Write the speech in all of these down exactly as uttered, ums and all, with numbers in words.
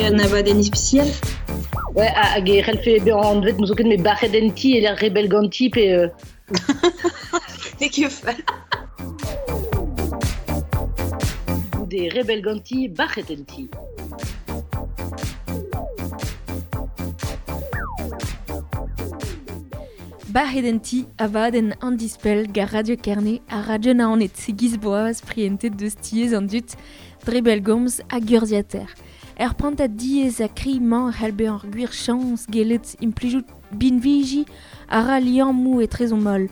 un abadenn ispisial. Ouais, hag e c'hellfe bezañ anvet n'eus ket met bac'het en ti e lec'h rebel ganti pe... Euh... N'eo ket fall. Goude rebel ganti, bac'het en ti. Bac'het en ti abadenn an dispell gar Radio Kerne ha Radio Naoned segiz boaz prientet deus tiez an dut dre bellgomz hag urzhiataer. Er prantad diaes ha kri-mañ c'hell bezañ ur gwir chañs gellet implijout binviji a ra liammoù etrezomp holl.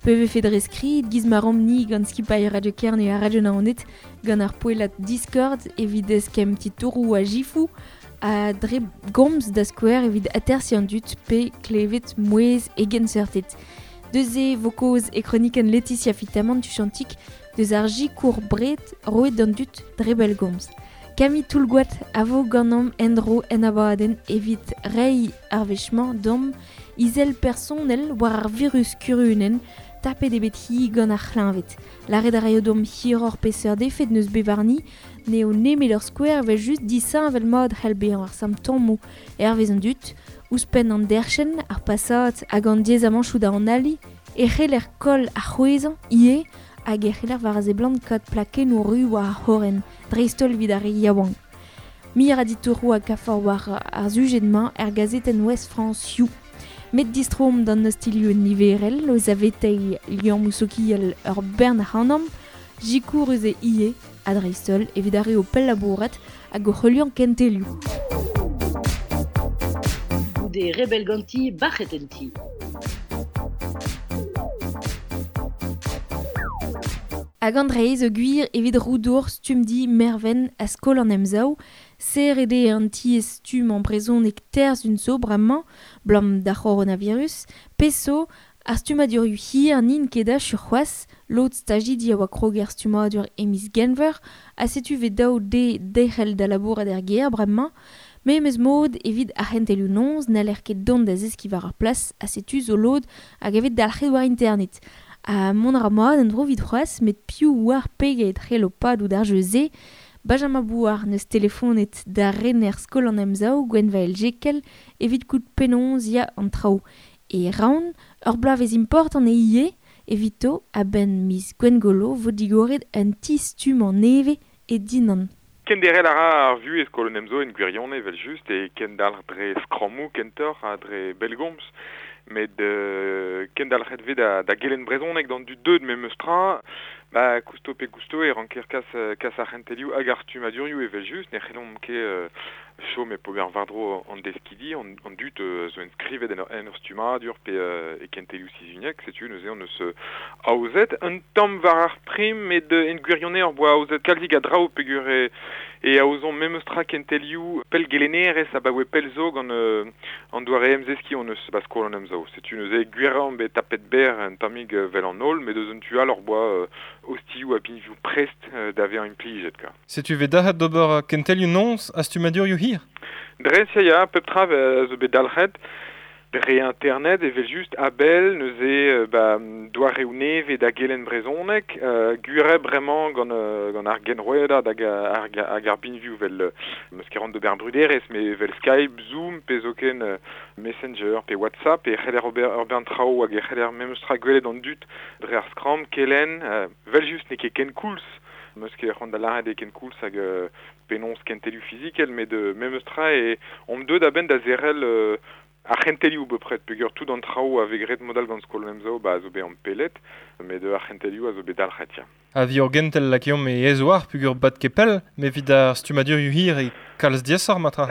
Pe vefe dre skrid giz ma ramp-ni gant skipailh Radio Kerne ha Radio Naoned gant ar poellad Discord evit eskemm titouroù ha jifoù ha dre gomz da skouer evit atersiñ an dud pe klevet mouezh e genseurted. Deus e vo kaoz e kronikenn Laetitia Fitamant tuchantik deus ar jikour bred roet d'an dud dre bellgomz. Camille Toulgoat a vo ganeomp en-dro en abadenn evit reiñ ar wech-mañ d'omp izel personel war ar virus kurunenn tapet eo bet hi gant ar c'hleñved. Lâret a raio d'omp hiroc'h peseurt efed n'eus bet warni, n'eo nemet ur skouer evel just disheñvel mat c'hell bezañ ar simptomoù hervez an dud, ouzhpenn an derc'henn, ar pasad hag an diaezamantoù da analiñ, e c'heller koll ar c'hwezhañ ivez hag e c'heller war a seblant kaout plakennoù ru war ar c'horren, dreist-holl evit ar re yaouank. Mir a ditouroù hag kafor war ar sujed-mañ er gazetenn Ouest France You. Met distroomp d'an ostilioù niverel, o zaveteiñ liammoù sokial ur bern ac'hanomp, jikour eus e ivez, ha dreist-holl evit ar re o pellabourat hag o c'heuliañ kentelioù. Goude rebel ganti, bac'het en ti. Hag an dreiz o gwir evit roudour stummdi Merven a skol an emsav, serret eo an tiez stumm an brezhoneg terzh un zo bremañ, blam d'ar c'horonavirus, peso ar stummadurioù hir n'int ket achu c'hoazh, lod stajidi a oa krog er stummadur e miz Genver, ha setu vez daou de derc'hel da labourat er gêr bremañ, memes mod evit ar c'hentelioù noz n'haller ket dont da zeskiñ war ar plas, ha setu zo lod hag a vez dalc'het war internet. Ha mont a ra mat en dro evit c'hoazh, met piv war pegeit c'hello padout ar jeu-se, Benjamin Bouard neus telefonet da rener skol an emsav Gwenvael Jekel evit kout penaos ya an traoù. E raon, ur bloavezh important e ivez, evito a-benn miz Gwengolo vo digoret un ti stumm an nevez e Dinan. Kenderel a ra ar vuhez skol an emsav en gwirionez evel just e kendalc'h dre skrammoù kentoc'h ha dre bellgomz. Met euh, kendalc'het vez da, da gelenn brezhoneg d'an dud deut memes tra, ba kousto pe kousto e ranker kas, kas ar c'hentelioù hag ar stummadurioù evel just, ne c'hellomp ket euh, chom e pober war-dro an deskidi, an, an dud euh, zo enskrivet en, en ur stummadur pe euh, e kentelioù sizhuniek, setu neuze on eus euh, aozet un tamm war ar prim, met euh, en gwirionez ur boa aozet kalzik a draoù peogwir e, e aozomp memes tra kentelioù pellgelennerez abaoe pell zo gant euh, an doare emzeskiñ on eus ba skol an emsav. Setu neuze gwirañ bet tapet berr un tammig euh, vel an holl, met deus un tu all ur boa euh, ostilhoù ha binvioù prest euh, da vezañ implijet ka. Setu vez dalc'het d'ober kentelioù noz ha stummadurioù hir? Dres ya ya, pep tra zo bet dalc'het dre internet evel just a-bell neuze euh, ba, doareoù nevez da gelenn brezhoneg, euh, gwir bremañ gant, euh, gant ar genrouedad hag ar, hag ar binvioù vel euh, meus ket ran d'ober bruderezh, met vel Skype, Zoom, pe zoken euh, Messenger, pe WhatsApp, e c'heller ober ur bern traoù hag e c'heller memes tra gwelet an dud dre ar skramm, kelenn, euh, vel just n'eo ket ken koulz, meus ket c'hoant da lâret eo ken koulz hag euh, penaos kentelioù fizikel, met euh, memes tra e omp deut a-benn da zerrel euh, ar c'hentelioù bepred, peogwir tout an traoù a vez graet modal gant skol an emsav, ba a zo bet ampellet, met ar c'hentelioù a zo bet dalc'het ya. Ha vi ur gentel lakeomp e ez oar peogwir bat ket pell, met evit ar stummadurioù hir e kalz diaesoc'h matra.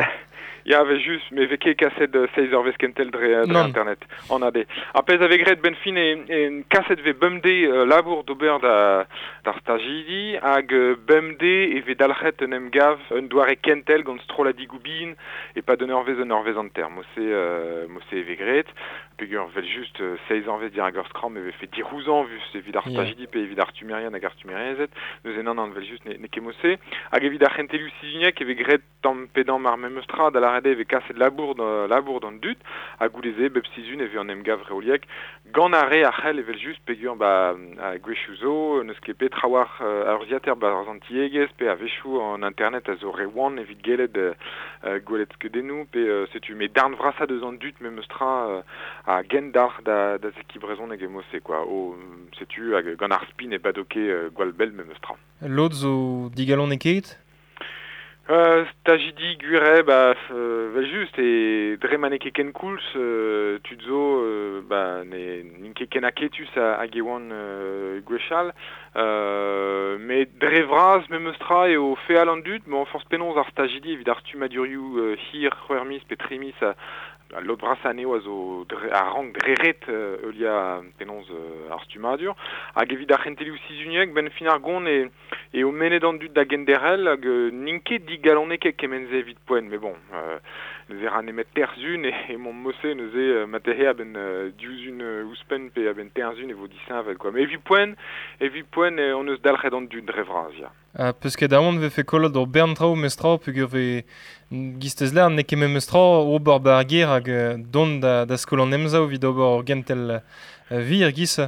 Ya, ve just, me vez ket kaset euh, seizh eurvezh kentel dre, dre internet, an A D. Ar pezh a vez graet benn fin e, e kaset vez bemdez euh, labour d'ober da, d'ar stajidi, hag euh, bemdez e vez dalc'het un emgav un doare kentel gant strolladigoù bihan e pa d'un eurvezh un eurvezh hanter. Mo-se euh, mo-se e vez graet, peogwir vel just euh, seizh eurvezh dirak ur skramm e vefe dirouzañ vus evit ar stajidi pe evit ar stummerien hag ar stummerezed, neuze nann an vel just ne, ne ket mo-se. Hag evit ar c'hentelioù sizhuniek e vez graet tamm pe damm ar memes tra da lâret lâret eo e vez kaset labour da, labour d'an dud, ha goude-se bep sizhun e vez an emgav reoliek, gant ar re a c'hell evel just peogwir ba a gwechoù zo, n'eus ket bet trawalc'h uh, a urzhiataer barzh an tiegezh pe a-wechoù an internet a zo re wan evit gellet uh, gwelet skeudennoù pe uh, setu met darn vrasañ deus an dud memes tra uh, a gendalc'h da, da zeskiñ brezhoneg e mod-se quoi. O, setu hag gant ar spi ne bado ket uh, gwall bell memes tra. Lod zo digalonekaet? Euh, stajidi gwir eo, ba, euh, vel just, e dre ma n'eo ket ken koulz, euh, tud zo, euh, ba, ne n'int ket ken aketus hag e oant euh, gwechall, euh, met dre vras memes tra eo feal an dud, bon, forzh penaos ar stajidi evit ar stummadurioù euh, hir, c'hwec'h miz pe tri miz a, a lod brasañ anezho a zo dre, a rank dre ret euh, heuliañ penaos euh, ar stummadur, hag evit ar c'hentelioù sizhuniek, ben fin ar gont e, eo mennet an dud da genderc'hel hag euh, n'int ket digalonekaet kement-se evit poent, mais bon, euh, neuze ra nemet terzun e, e mont mod-se neuze euh, marteze a-benn euh, div euh, ouzhpenn pe a-benn terzun e vo disheñvel quoi. Mais evit poent, evit poent eh, on eus dalc'het an dud dre vras, ya. Ha peus ket aon vefe kollet ur bern traoù memes tra peogwir vez gistez lâr n'eo ket memes tra ober ba ar gêr hag dont da, da skol an Emsav evit ober ur gentel euh, wir giz.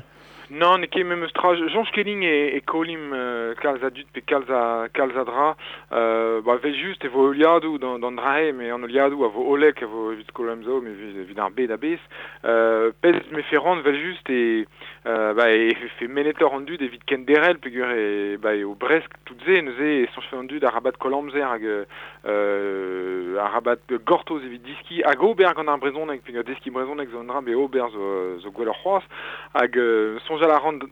Non, n'eo ket memes tra. Soñj ket din e, e kollimp euh, kalz a dud pe kalz a, kalz a dra. Euh, ba, vel just e vo heuliadoù d'an, d'an dra-se, met an heuliadoù a vo hollek a vo evit skol an Emsav, met evit, evit ar bed a-bezh. Euh, pezh me fe ran vel just e, euh, ba, e fe menetoc'h an dud evit kenderc'hel peogwir e, ba, eo bresk tout se, neuze e soñjfe an dud arabat koll amzer hag euh, arabat gortoz evit diski hag ober gant ar brezhoneg, peogwir deskiñ brezhoneg zo un dra, met ober zo, zo gwelloc'h c'hoazh, hag euh, soñjal a ran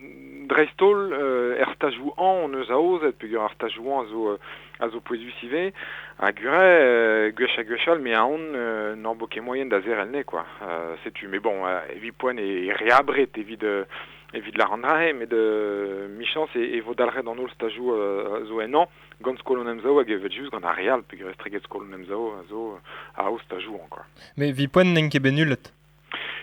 dreist-holl euh, er stajoù hañv hon eus aozet, peogwir ar stajoù hañv a zo, a zo pouezus ivez, ha gwir eo, euh, gwech ha gwech all, me aon euh, n'hor bo ket moaien da zerc'hel ne, quoi. Euh, setu, mais bon, euh, evit poent e, e re abred evit, euh, evit lâr an dra-se, met euh, michañs e, e vo dalc'het an holl stajoù euh, zo en hañv, gant skol an Emsav hag evel just gant ar re all, peogwir estreget skol an Emsav a zo a aoz stajoù hañv, quoi. Mais evit poent n'int ket bet nullet.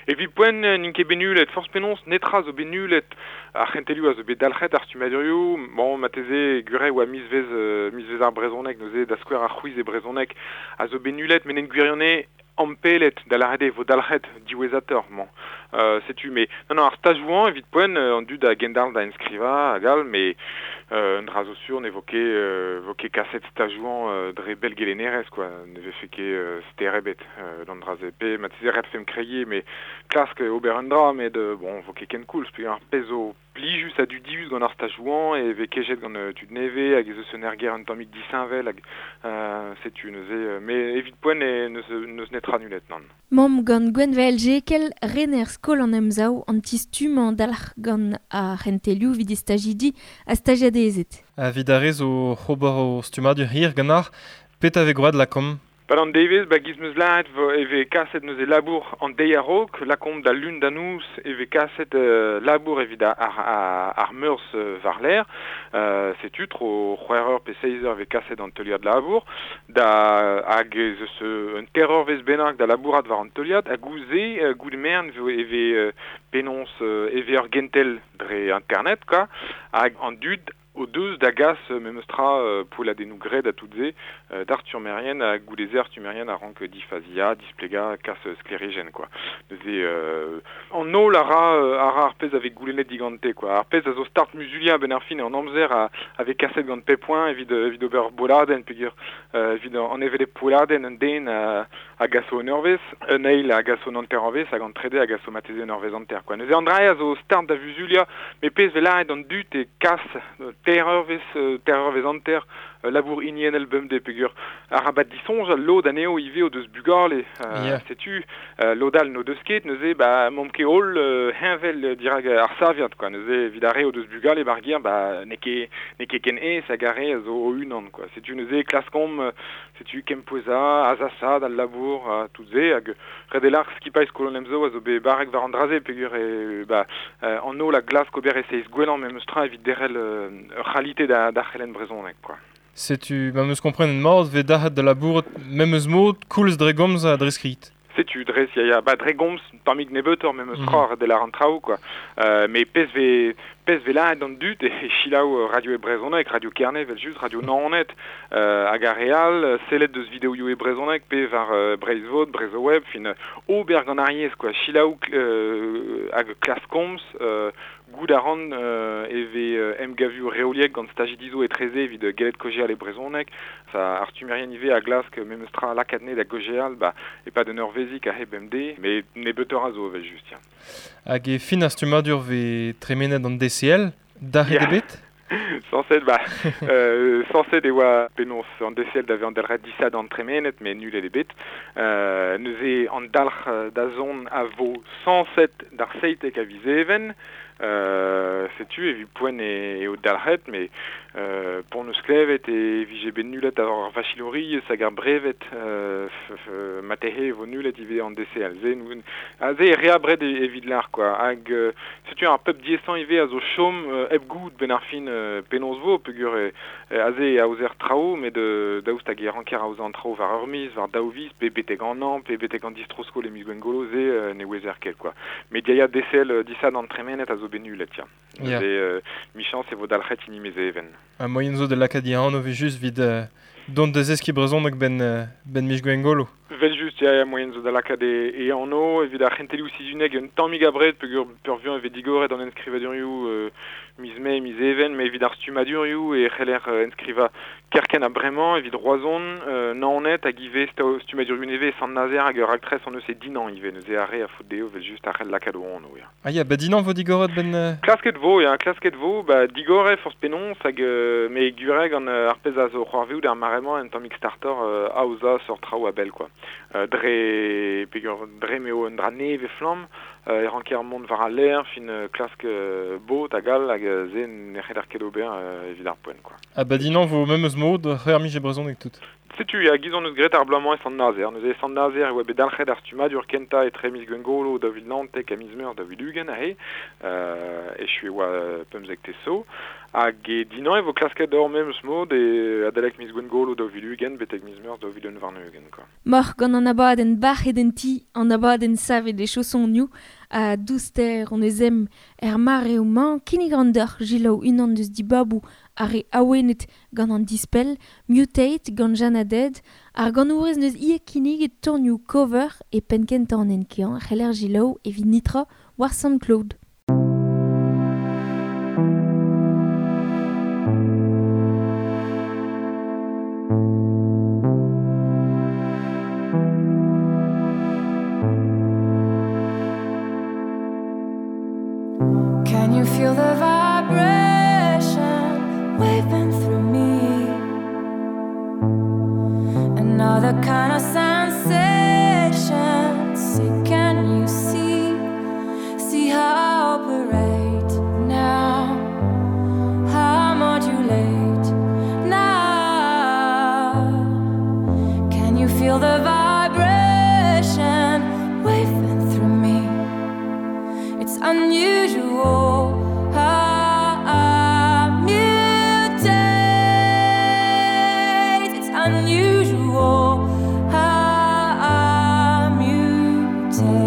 Evit poent n'int ket bet nullet, forzh penaos netra zo bet nullet ar c'hentelioù a zo bet dalc'het ar stummadurioù, bon, marteze gwir eo oa mizvezh, euh, mizvezh ar brezhoneg, neuze da skouer ar c'hwiz e brezhoneg a zo bet nullet, met en gwirionez ampelet da lâret eo vo dalc'het diwezhatoc'h, bon. Euh, setu, mais non, non, ar stajoù hañv evit poent euh, an dud a gendalc'h da enskrivañ hag all, mais euh, un dra zo sur ne vo ket, euh, vo ket kaset stajoù hañv euh, dre bellgelennerezh, quoi. Ne vefe ket euh, ster ebet euh, d'an dra-se. Pe marteze ret femp kregiñ, mais klask ober un dra, met euh, bon, vo ket ken koulz, peogwir ar pezh zo plijus ha dudius gant ar stajoù hañv e vez kejet gant euh, tud nevez hag ez eus un aergelc'h un tammig disheñvel hag euh, setu neuze, euh, mais evit poent e n'eus, n'eus netra nullet, nann. Mamm gant Gwenvael Jekel, rener skol an Emsav an ti-stummañ dalc'h gant ar c'hentelioù evit stajidi ha stajiadezed. Evit ar re zo ober o stummadur hir ganeoc'h, petra vez gwraet lakaomp? Pad an devezh, ba giz 'meus lâret vo e vez kaset neuze labour an deiz a-raok, lakaomp da lun da noz e vez kaset euh, labour evit ar, ar, ar meurzh euh, war-lerc'h. Euh, setu tro c'hwec'h eur pe seizh eur e vez kaset an teuliad labour, da hag ez eus un teir eurvezh bennak da labourat war an teuliad, ha goude, euh, goude merenn vo e vez euh, penaos euh, e vez ur gentel dre internet, quoi, hag an dud o deus da gas memes tra euh, poelladennoù graet ha tout se euh, d'ar stummerien ha goude-se ar stummerien a rank difaziañ, displegañ, kas sklêrijenn, quoi. Neuze euh, an holl a ra, a ra ar pezh a vez goulennet digante, quoi. Ar pezh a zo start muzuliañ a-benn ar fin an amzer a, a vez kaset gant pep poent evit, evit ober bolladenn, peogwir euh, evit an hevelep poelladenn un den a, a gaso un eurvezh, un eil a gaso un hanter eurvezh hag an trede a gaso marteze un eurvezh hanter, quoi. Neuze an dra a zo start da vuzuliañ, met pezh vez lâret d'an dud e kas teir eurvezh, teir eurvezh hanter labour hiniennel bemdez peogwir arabat disoñjal lod anezho ivez o deus bugale, euh, Yeah. setu, euh, lod all n'o deus ket, neuze ba m'omp ket holl euh, heñvel dirak ar saviad, quoi. Neuze evit ar re o deus bugale bar gêr, ba n'eo ket, n'eo ket ken aes hag ar re a zo o-unan, quoi. Setu neuze klaskomp, setu kempouezañ, azasaat al labour, uh, tout se, hag ret eo lâr skipailh skol an Emsav a zo bet barrek war an dra-se peogwir e, ba, euh, an holl a glask ober e seizh gwellañ memes tra evit derc'hel euh, ur c'halite da, da c'helenn brezhoneg, quoi. Setu, ma 'meus komprenet mat, vez dalc'het da labourat memes mod koulz dre gomz ha dre skrid. Setu, dres, ya, ya, ba, dre gomz, tammig nebeutoc'h memes Mm. tra, ret eo lâr an traoù, quoi. Euh, met pezh vez, pez velaet an dud e chilaou radio e brezhoneg, Radio Kerne, vel just, Radio Naoned, euh, hag ar real, sellet deus videoioù e brezhoneg, pe war euh, Breizhvod, Brezhoweb, fin ober gant ar yezh, quoi, chilaou euh, hag klas komz, euh, goud a ran euh, e ve euh, emgavioù reoliek gant stajidizo e treze evit gellet kojeal e brezhoneg, sa ar stumerien ive a glask memes tra lakatne da gojeal, ba, e pa d'un ur vezik a heb M D, mais ne beuteur a zo vel just, ya. Hag e fin ar stummadur ve tremenet an D C L, d'ar Ya. ebet? Sañset, ba, euh, sañset e oa penaos an D C L da ve an dalc'het disad an tremenet, mais nul eo bet. Euh, neuze an dalc'h da zon a vo sañset d'ar seitek a viz even. Euh, setu evit poent e, eo dalc'het, mais euh, pon eus klevet e vije bet nullet ar vachilori hag ar brevet, euh, f, f, matehe e vo nullet ivez an D C L. Ze, nou, a ze e reabret e, evit l'ar, quoi. Hag, euh, setu ar pep diesañ ivez a zo chom, euh, hep goud ben ar fin, euh, penaos vo, peogwir e, e, aze e aozer traoù, met euh, daoust hag e ranker aozañ an traoù war ur miz, war daou viz, pe betek an an, pe betek an distrosko le miz gwengolo, ze euh, ne ouezer ket, quoi. Met dia D C L disad an tremenet a zo bet nullet, ya. Ya. Neuze, euh, michañs e vo dalc'het hini mez even. Ha moyen zo de lakaat anv vez just vid euh, dont deus eski brezhoneg ben, euh, ben miz gwengolo. Vel just, ya, ya, moyen zo da lakaat e, e anv, evit ar c'hentelioù sizhuneg un tammig abred, peogwir peurvuiañ e vez digoret an enskrivadurioù, euh, miz mae, miz even, met evit ar stummadurioù e c'heller euh, enskrivañ kerkent a bremañ, evit Roazhon, euh, Naoned hag ivez stummadurioù nevez Sant-Nazer hag ur raktres an eus e Dinan ivez, neuze ar re a faot dezho vel just ar c'hell lakaat o anv, ya. Ah ya, ba Dinan vo digoret ben... Euh... Klasket vo, ya, klasket vo, ba digoret forzh penaos hag euh, me gureg an euh, ar pezh a zo c'hoarvezout ar mare-mañ un tammig starter euh, aozañ sort traoù a bell, quoi. Euh, dre, peogwir dre m'eo un dra nevez flamm, euh, e ranker mont war al lec'h, fin euh, klask euh, bot hag all hag euh, ze ne c'heller ket ober euh, evit ar poent, quoi. Ah ba Dinan vo memes mod, c'hwec'h miz e brezhoneg tout. Setu, ya, giz on eus graet ar bloaz-mañ e Sant-Nazer. Neuze e Sant-Nazer e oa bet dalc'het ar stummadur kentañ etre miz Gwengolo, daou vil naontek ha miz Meurzh daou vil ugent aze, euh, echu e oa pemzek teso. Hag e Dinan e vo klasket d'ur memes mod e adalek miz Gwengolo daou vil ugent betek miz Meurzh daou vil un warn-ugent, quoi. Moc'h gant an abadenn bac'het en ti, an abadenn savet e chaosonioù, a douster on eus em er mareoù-mañ, kinnig an deoc'h jilaou unan deus dibaboù ar re awenet gant an dispell, Mutate gant Jeanne Added, ar ganourez neus ie kinnig tornioù cover e penn kentañ an enkeañ, c'heller jilaou evit nitra war SoundCloud. Can you feel the vibration waving through me? Another kind of sensation. Say, can you see? See how I operate now? How I modulate now? Can you feel the vibration waving through me? It's unusual how I mutate. It's unusual how I mutate.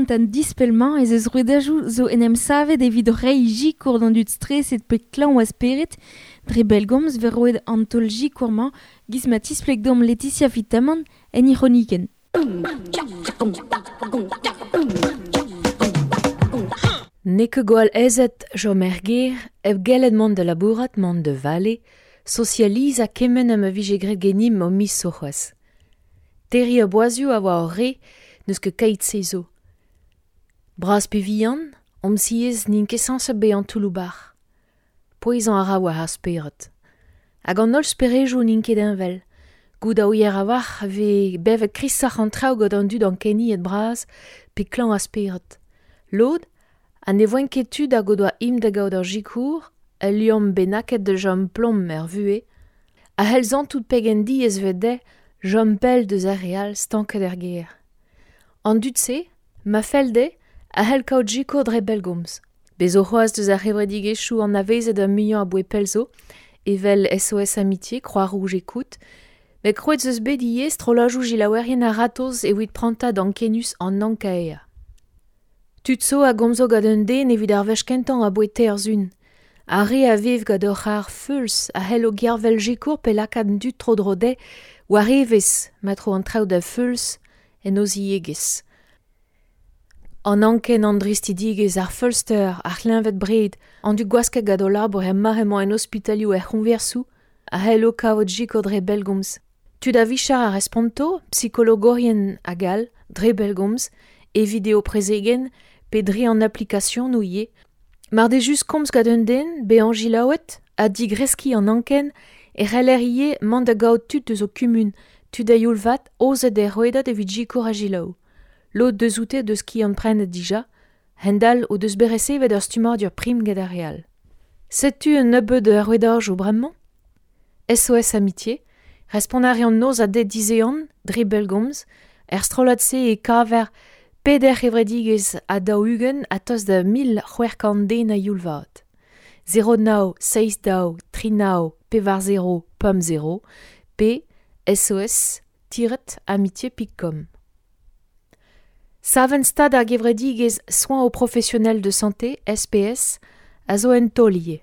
prant an dispelmañ ez eus rouedajoù zo en em savet evit reiñ jikour d'an dud streset pe klañv a spered, dre bellgomz vez roet an taol jikour-mañ giz ma tispleg deomp Laetitia Fitamant en he c'hronikenn. N'eo ket gwall aezet chom er gêr hep gellet mont da labourat, mont da vale, sozializañ kement ha ma vije graet ganimp o miz zo c'hoazh. Terriñ ar boazioù a oa hor re n'eus ket keit-se zo. Bras pe vihan, omp siez n'int ket sañset bezañ toulloù-bac'h. Pouezañ a ra war ar spered. Hag an holl sperejoù n'int ket heñvel. Goût a ouier a-walc'h a vez bevet krisoc'h an traoù gant an dud ankeniet bras pe klañv a spered. Lod, ha ne voent ket tud hag o doa im da gaout ur sikour, ul liamm bennaket da chom plom er vuhez, a c'hell santout pegen diaes vez dezhe chom pell deus ar re all stanket er gêr. An dud-se, ma fell dezhe, a c'hell kaout sikour dre bellgomz. Bez zo c'hoazh deus ar c'hevredigezhioù anavezet ar muiañ aboae pell zo, evel S O S Amitié, Croix-Rouge Écoute, met krouet eus bet ivez strollajoù gilaouerien a-ratozh evit prantad ankenius an ankaeañ. Tud zo a gomzo gant un den evit ar wech kentañ aboae teir sizhun. Ar re a vev gant ur c'har feuls a c'hello gervel sikour pe lakaat an dud tro-dro dezhe war evezh ma tro an traoù da feuls en o ziegezh. An anken an dristidigezh, ar feulster, ar c'hleñved bred, an dud gwasket gant o labour er mare-mañ en ospitalioù er c'hoñversoù a c'hello kavout sikour dre bellgomz. Tud a vicher a responto, psikologorien hag all, dre bellgomz, e video prezegenn pe dre an application ivez. Mar deo just komz gant un den, bezañ gilaouet, ha digreskiñ an anken, e c'heller ivez mont da gaout tud deus o kumun, tud a youl vat, aozet er rouedad evit sikour ha gilaou. Lod deus oute deus ki an prenet dija, hend-all o deus bet resevet ur stummadur prim get ar re all. Setu un nebeud ur rouedajoù bremañ? S O S Amitié, respont a reont noz ha deiz dizehan, dre bellgomz, er strollad-se e kaver peder c'hevredigezh ha daou-ugent ha tost da mil c'hwec'h kant den a youl vat. zéro nav seizh daou tri nav pevar zéro pemp zéro p S O S tiret amitié pik com. Savenn stad ar gevredigezh Soins aux professionnels de santé S P S a zo en taol ivez.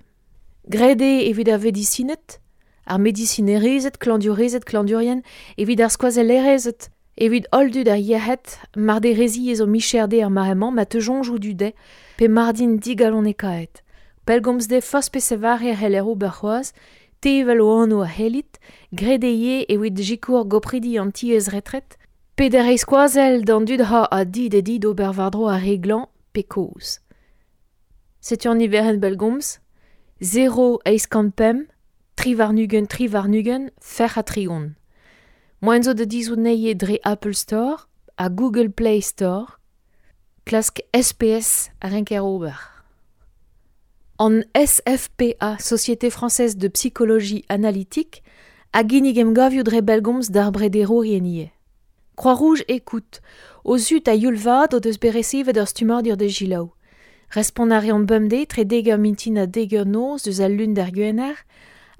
Graet eo evit ar vedisined, ar medisinerezed, klañvdiourezed, klañvdiourien, evit ar skoazellerezed, evit holl dud ar yec'hed, mar deo re ziaes o micher dezhe ar mare-mañ ma teu soñjoù du dezhe, pe mar dint digalonekaet. Pellgomz dezhe forzh pesevar e c'heller ober c'hoazh, tevel o anv a c'hellit, graet eo ivez evit sikour gopridi an tiez retret, pe da reiñ skoazell d'an dud ha a di da di d'ober war-dro ar re glañv pe kozh. Setu an niverenn bellgomz, zéro eizh kant pemp, tri warn-ugent, tri warn-ugent, fer ha tregont. Moaien zo da dizhout anezhe dre Apple Store ha Google Play Store, klask S P S a renker ober. An S F P A, Société Française de Psychologie Analytique, a ginnig emgavioù dre bellgomz d'ar brederourien ivez. Croix-Rouge Écoute, o zud a youl vat o deus bet resevet ur stummadur da gilaou. Respont a reont bemdez tre dek eur mintin ha dek eur noz deus al lun d'ar gwener,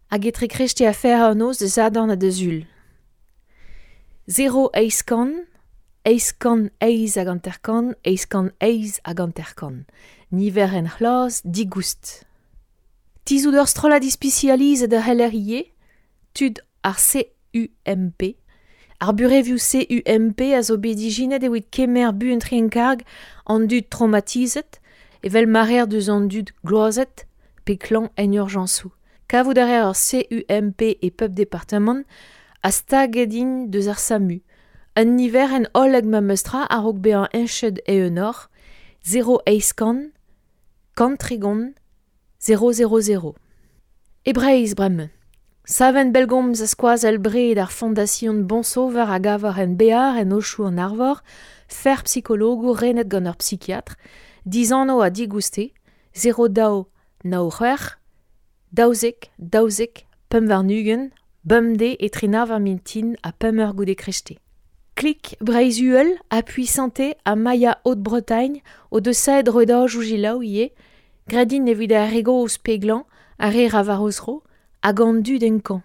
hag etre krechte ha fer eur noz deus Sadorn ha da Sul. Zéro eizh kant, eizh kant eizh hag hanter-kant, eizh kant eizh hag hanter-kant. Niverenn c'hlas digoust. Tizhout ur strollad ispisializet a c'heller ivez, tud ar C U M P. Ar burevioù C U M P a zo bet ijinet evit kemer buan tre en karg an dud traumatizet, evel ma reer deus an dud gloazet pe klañv en urjañsoù. Kavout a reer ur C U M P e pep departamant a staget int deus ar SAMU. Un niverenn hollek ma meus tra a-raok bezañ heñchet e-unoc'h, zéro eizh kant, kant tregont, zéro zéro zéro. E Breizh bremañ. Savenn bellgomz a skoazell bred ar Fondation Bon Sauveur a gavar en Bear en Ochoù an Arvor, fer psikologour renet gant ur psychiatre, dizanv ha digouste, zéro daou nav c'hwec'h, daouzek, daouzek, pemp warn-ugent, bemdez etre nav ar mintin ha pemp eur goude krechte. Klik Breizh-Uhel, Appui Santé ha Maya Haute-Bretagne o deus saet rouedajoù gilaou ivez, graet int evit ar re gozh pe glañv, ar re ra war o zro, hag an dud en kañv.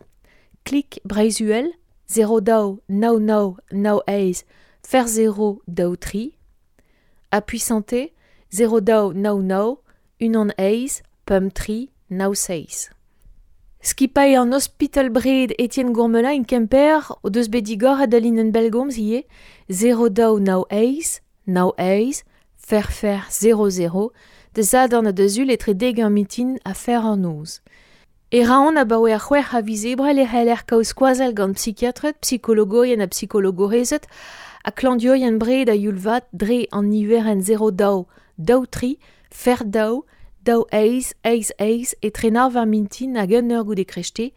Klik Breizh-Uhel, zéro daou nav nav nav eizh, fer zéro daou tri, Appui Santé, zéro daou nao nao, unan eiz, pemp tri, nao seiz. Skipailh an Hospital Bred Etienne Gourmelin in Kemper o deus bet digor a dalin en belgomz ivez zéro daou nao eiz, nao eiz, fer fer zéro zéro, de zadorn a deus ul etre deg ur mitin a fer an noz. E raon abaoe ar c'hwec'h a viz ebrel e c'heller kaout skoazell gant psychiatred, psikologourien ha psikologorezed ha klañvdiourien bred a youl vat dre an niverenn zéro daou daou tri fer daou daou eiz eiz eiz etre nav ar mintin hag un eur goude krechte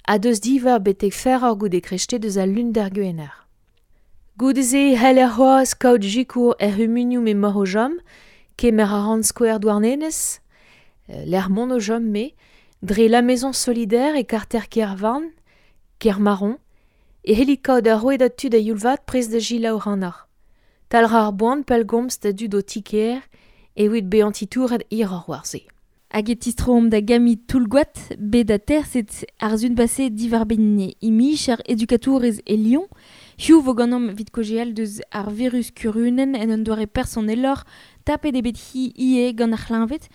ha deus div eur betek fer eur goude krechte deus al lun d'ar gwener. Goude-se e c'heller c'hoazh kaout sikour er c'humunioù m'emaoc'h o chom, kemer a ran skouer Douarnenez, lec'h mont o chom me, dre la Maison Solidaire e karter Kervan, Kermaron, e c'hellit kaout ar rouedad tud a youl vat prest da selaou ac'hanoc'h. Talc'h ar boan pellgomz da dud o ti-kêr evit bezañ titouret hiroc'h war-se. Hag e tistroomp da Gami Toulgoat, bet aterset ar sun pase diwar-benn imij ar edukatourez e Lyon. Hiziv vo ganeomp evit kaozeal deus ar virus kurunenn en un doare personeloc'h, tapet eo bet hi ivez gant ar c'hleñved,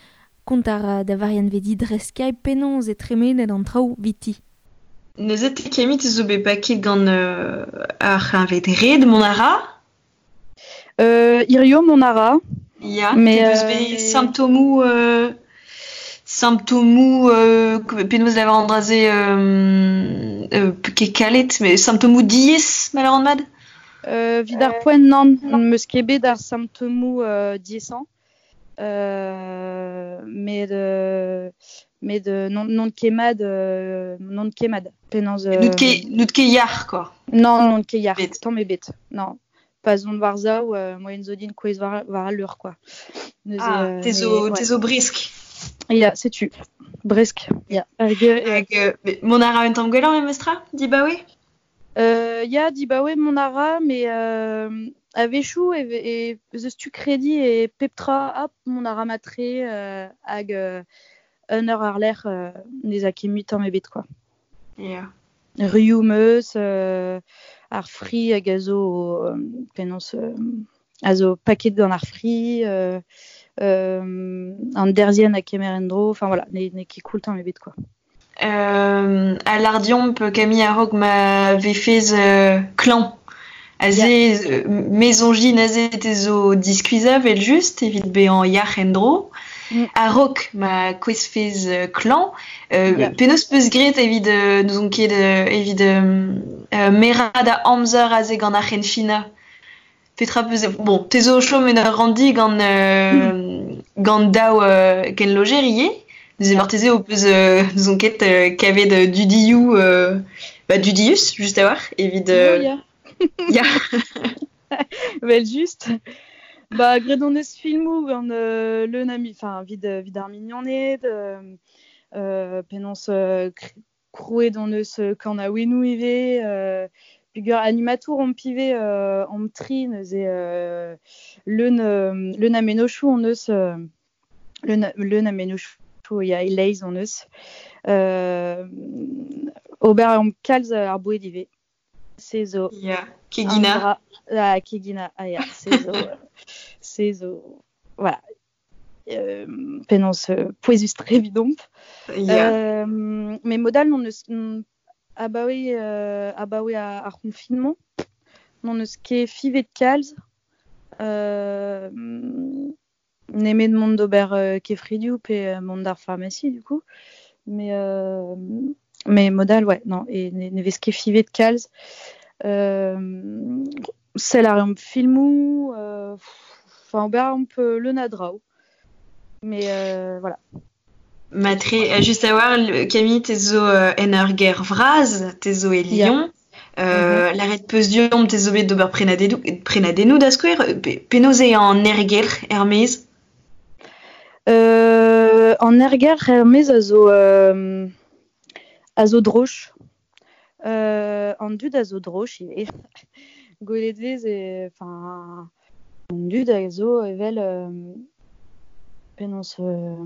kont ar da Varianne Vedi dre Skype penaos e tremenet an traoù 'viti. Neuze te Camille te zo bet paket gant euh, ar c'hleñved red mont a ra ? Euh, hirio mont a ra. Ya, Mais, te peus euh, bet mais symptomoù euh, symptomoù euh, penaos lavar an dra-se euh, euh, ket kalet, mais symptomoù diaes ma lavaran mat ? Euh, 'vit ar poent nann, 'm eus ket bet ar symptomoù euh, diaesañ. Euh, met euh, met euh, non, n'on ket mat, euh, n'on ket mat. Penaos, euh, N'out ket, n'out ket yac'h, quoi. Non, n'on ket yac'h, Bet. tamm ebet. Non. Pa zon war zaou, euh, moaien zo din kouezh war, war al leur, quoi. Neuze, Ah, euh, te zo, mais, te ouais. zo bresk. Ya, setu. Bresk, ya. Hag, euh, Hag, euh, mais mont a ra un tamm gwelloc'h memestra, dibaoe ? Euh, ya, dibaoe mont a ra, mais euh, a-wechoù e, e ez eus tu krediñ e pep tra, hop, mont a ra mat-tre, euh, hag euh, un eur ar-lerc'h, euh, n'ez a ket mui tamm ebet, quoi. Ya. Rioù 'm eus, euh, ar fri hag a zo, euh, penaos, euh, a zo paket gant ar fri, euh, euh, an derzhienn a kemer en-dro, enfin voilà, n'eo n'eo ket koul tamm ebet, quoi. Euh, a lar deomp Camille a-raok ma vefez euh, klañv. Aze, Ya. euh, me soñj din aze te zo diskuizhañ evel-just evit bezañ yac'h en-dro. Mm. A-raok ma kouezfez euh, klañv, euh, Ya. penaos peus graet evit euh, n'ouzon ket euh, evit euh, euh, merañ da amzer aze gant ar c'henfinañ. Petra peus... Bon, te zo o chom en ur ranndi gant, euh, Mm. gant daou euh, kenlojer ivez. Neuze Ya. marteze ho peus euh, n'ouzon ket euh, kavet euh, dudioù euh, bah, dudius, just a-walc'h, evit euh, Oh, ya. Ya. Vel just. Ba, graet hon eus filmoù gant euh, leun a mi-, enfin, 'vit, 'vit ar mignoned, euh, euh, penaos euh, krouet hon eus kanaouennoù ivez, euh, peogwir animatour omp ivez euh, omp tri, neuze euh, leun, euh, leun a mennozhioù hon eus, euh, leun, leun a mennozhioù ya e-leizh hon eus. Euh, ober a reomp kalz ar boued ivez. Se zo. Ya, keginañ. An dra, ah, keginañ, ah ya, se zo, se zo, voilà. Euh, penaos euh, pouezus-tre evidomp. Ya. Euh, mais mod all n'hon eus abaoe, euh, abaoe ar, ar confinement, n'hon eus ket fiñvet kalz. Euh, nemet mont d'ober euh, kefridioù pe mont d'ar pharmacie du coup. Mais, euh, mais mod all, ouais, non, et ne, ne vez ket fiñvet kalz. Euh, sell a reomp filmoù, euh, enfin ober a reomp leun a draoù. Mais euh, voilà. Matre, euh, just a-walc'h, Camille, te zo euh, en ur gêr vras, te zo e Ya. Lyon. Euh, Mhm. Lâret peus deomp te zo bet d'ober prenadennoù, prenadennoù da skouer, pe, penaos eo an aergelc'h er-maez ? Euh, an aergelc'h er-maez a zo, euh, a zo droch. Euh, an dud a zo droch ivez. Gwelet vez e, enfin, an dud a zo evel, euh, penaos, euh,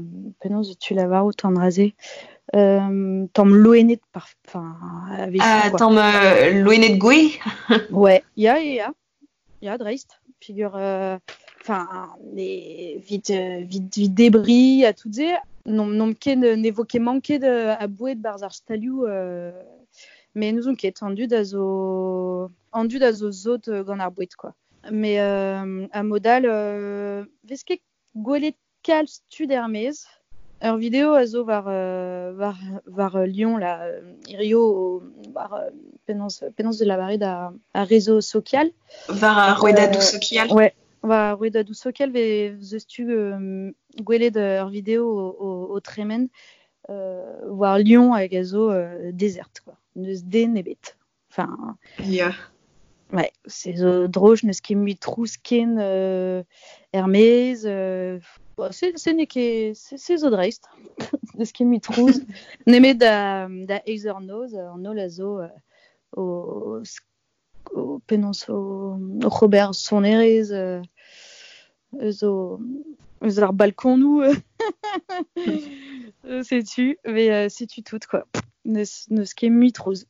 penaos tu lavarout an dra-se. Euh, tamm loened par, enfin, a-wechoù, Ah, quoi. tamm euh, loened gouez ? Ouais, ya, ya, ya. Ya, dreist. Peogwir, euh, Enfin, evit, evit, evit debri ha tout se, n'omp n'omp ket ne vo ket manket a boued barzh ar stalioù euh, mais n'ouzon ket, an dud a zo an dud a zo zot gant ar boued quoi. Mais euh, a modal euh, vez ket gwelet kalz tud er-maez. Ur vidéo a zo war, euh, war, war Lyon la hirio war euh, penaos penaos de la barre da a réseau social. War ar rouedadoù euh, sokial. Ouais, war ar rouedadoù sokial vez eus tu euh, gwelet ur vidéo o, o, o tremen euh, war Lyon hag a zo euh, dezert quoi. Neus den ebet. Enfin, yeah. Ouais, c'est zo droch, neus ket mui trouz ken euh, er-maez, euh, bon, c'est c'est n'eo ket c'est c'est zo dreist. Neus ket mui trouz. Nemet da da eizh eur noz, an holl a zo euh, o o penaos o, o c'hober sonerezh euh, eus o eus ar balkonoù. Setu, mais euh, setu tout quoi. Neus neus ket mui trouz.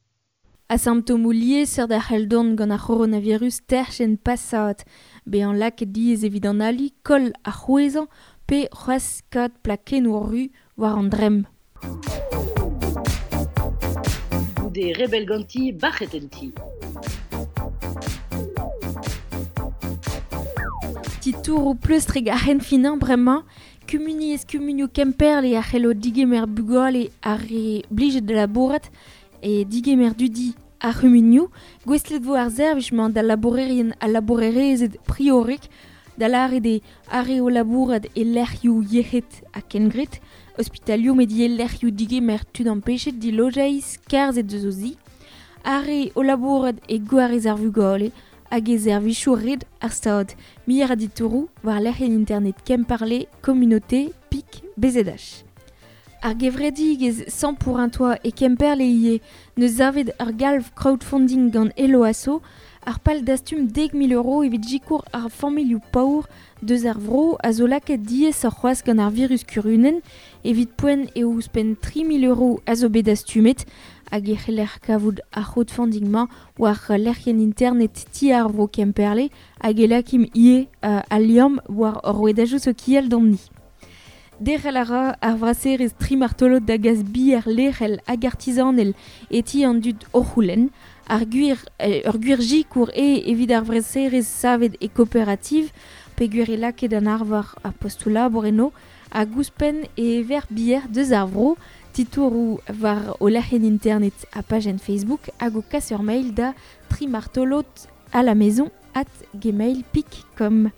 A symptomoù liesseurt a c'hell dont gant ar c'horonavirus terchenn pasat, bezañ lakaet diaes evit an ali, koll ar c'hwezhañ pe c'hoazh kaout plakennoù ru war an dremm. Goude rebel ganti, bac'het en ti. Titouroù pleustrek ar c'henfinañ bremañ, kumuniezh kumunioù Kemperle a c'hello digemer bugale ar re blijet da labourat e digemer dudi ar c'humunioù, gouestlet vo ar servij-mañ da labourerien ha labourerezed priorek, da lâret eo ar re o labourat e lec'hioù yec'hed ha kengred, ospitalioù met ivez lec'hioù digemer tud ampechet dilojeiz skarzhet deus o zi, ar re o labourat e gwarez ar vugale hag e servijoù red ar stad. Muioc'h a ditouroù war lec'hienn internet Kemperle communauté pik B Z H. Ar gevredigezh cent pour un toit e Kemperle ivez neus savet ur galv crowdfunding gant Eloasso, ar pal dastum dek mil euro evit sikour ar familhoù paour deus ar vro a zo lakaet diaes ar c'hoazh gant ar virus kurunen, evit poent eo ouzhpenn tri mil euro a zo bet dastumet hag e c'heller kavout ar crowdfunding-mañ war lec'hienn internet ti ar vro Kemperle hag e lakim ivez euh, al liamm war ur rouedadoù sokial d'omni. Derc'hel a ra ar vraserez tri martolod da gas bier lec'hel hag artizanel e ti an dud o c'houlenn. Ar gwir, ur gwir sikour eo evit ar vraserez savet e kooperativ, peogwir e lakaet an arvar ar postoù labour eno, hag ouzhpenn e ever bier deus ar vro, titouroù war o lec'hienn internet ha pajenn Facebook hag o kas ur mail da trimartolod à la maison at gmail pik com.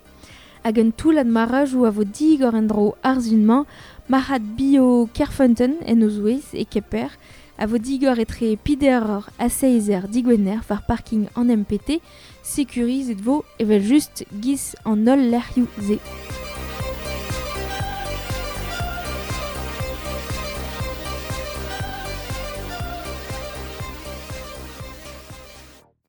Hag un toullad marajoù a vo digor en-dro ar sun-mañ, marc'had bio Kerfeunteun en o zouez e Kemper, a vo digor etre peder eur ha seizh eur digwener war parking an M P T, sekurizet vo evel just giz an holl lec'hioù se.